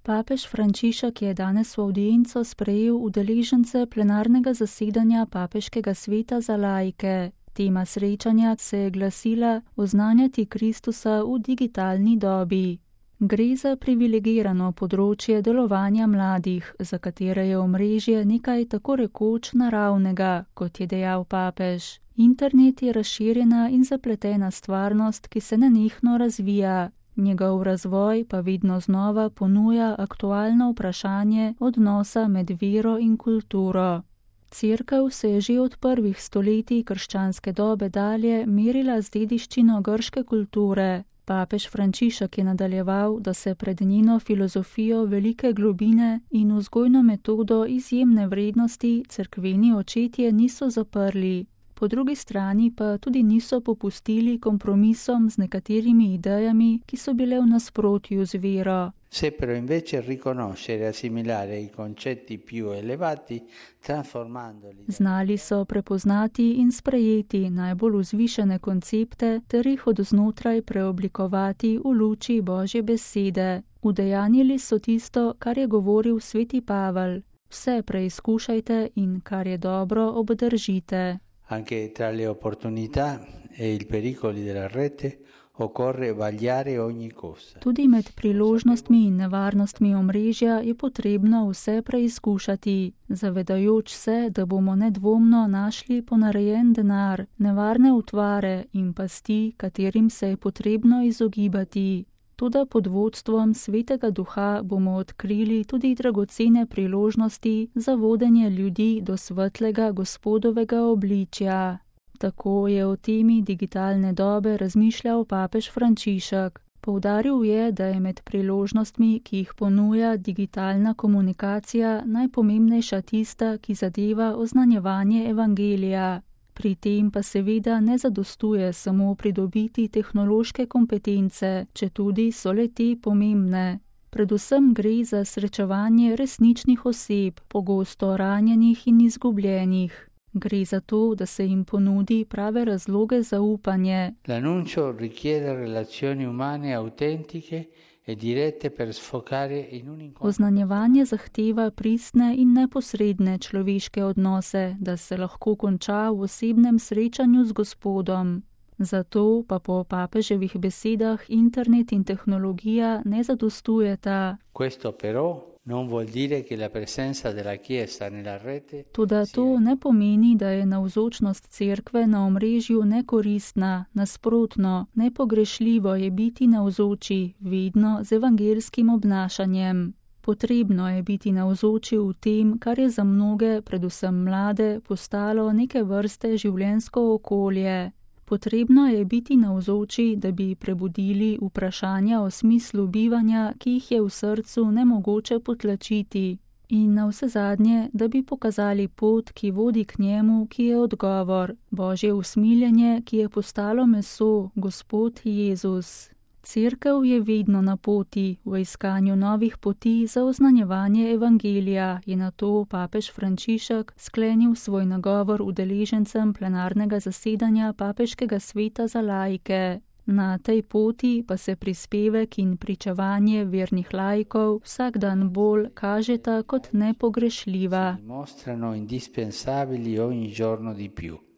Papež Frančišek je danes v avdienco sprejel udeležence plenarnega zasedanja Papeškega sveta za laike. Tema srečanja se je glasila Oznanjati Kristusa v digitalni dobi. Gre za privilegirano področje delovanja mladih, za katere je omrežje nekaj tako rekoč naravnega, kot je dejal papež. Internet je razširjena in zapletena stvarnost, ki se nenehno razvija. Njegov razvoj pa vedno znova ponuja aktualno vprašanje odnosa med vero in kulturo. Cerkev se je že od prvih stoletij krščanske dobe dalje merila z dediščino grške kulture. Papež Frančišek je nadaljeval, da se pred njeno filozofijo velike globine in vzgojno metodo izjemne vrednosti cerkveni očetje niso zaprli. Po drugi strani pa tudi niso popustili kompromisom z nekaterimi idejami, ki so bile v nasprotju z vero. Seppero invece riconoscere e assimilare i concetti più elevati, trasformandoli. Znali so prepoznati in sprejeti najbolj vzvišene koncepte ter jih od znotraj preoblikovati v luči Božje besede. Udejanjili so tisto, kar je govoril sveti Pavel. Vse preizkušajte in kar je dobro, obdržite. Anche tra le opportunità e i pericoli della rete occorre vagliare ogni cosa. Tudi med priložnostmi in nevarnostmi omrežja je potrebno vse preizkušati, zavedajoč se, da bomo nedvomno našli ponarejen denar, nevarne utvare in pasti, katerim se je potrebno izogibati. Toda pod vodstvom Svetega Duha bomo odkrili tudi dragocene priložnosti za vodenje ljudi do svetlega Gospodovega obličja. Tako je o temi digitalne dobe razmišljal papež Frančišek. Poudaril je, da je med priložnostmi, ki jih ponuja digitalna komunikacija, najpomembnejša tista, ki zadeva oznanjevanje evangelija. Pri tem pa seveda ne zadostuje samo pridobiti tehnološke kompetence, četudi so le te pomembne. Predvsem gre za srečevanje resničnih oseb, pogosto ranjenih in izgubljenih. Gre za to, da se jim ponudi prave razloge za upanje. L'annuncio richiede relazioni umane autentiche e dirette per sfocare in un incontro. Oznanjevanje zahteva pristne in neposredne človeške odnose, da se lahko konča v osebnem srečanju z Gospodom. Zato pa po papeževih besedah internet in tehnologija ne zadostujeta. Questo però non vuol dire che la presenza della Chiesa nella rete. Toda to ne pomeni, da je navzočnost cerkve na omrežju nekoristna, nasprotno, nepogrešljivo je biti navzoči, vedno z evangelskim obnašanjem. Potrebno je biti navzoči v tem, kar je za mnoge, predvsem mlade, postalo neke vrste življenjsko okolje. Potrebno je biti navzoči, da bi prebudili vprašanja o smislu bivanja, ki jih je v srcu nemogoče potlačiti. In navsezadnje, da bi pokazali pot, ki vodi k njemu, ki je odgovor, Božje usmiljenje, ki je postalo meso, Gospod Jezus. Cerkev je vedno na poti, v iskanju novih poti za oznanjevanje evangelija, je nato papež Frančišek sklenil svoj nagovor udeležencem plenarnega zasedanja Papeškega sveta za laike. Na tej poti pa se prispevek in pričevanje vernih laikov vsak dan bolj kažeta kot nepogrešljiva. Mostrano indispensabili ogni giorno di più.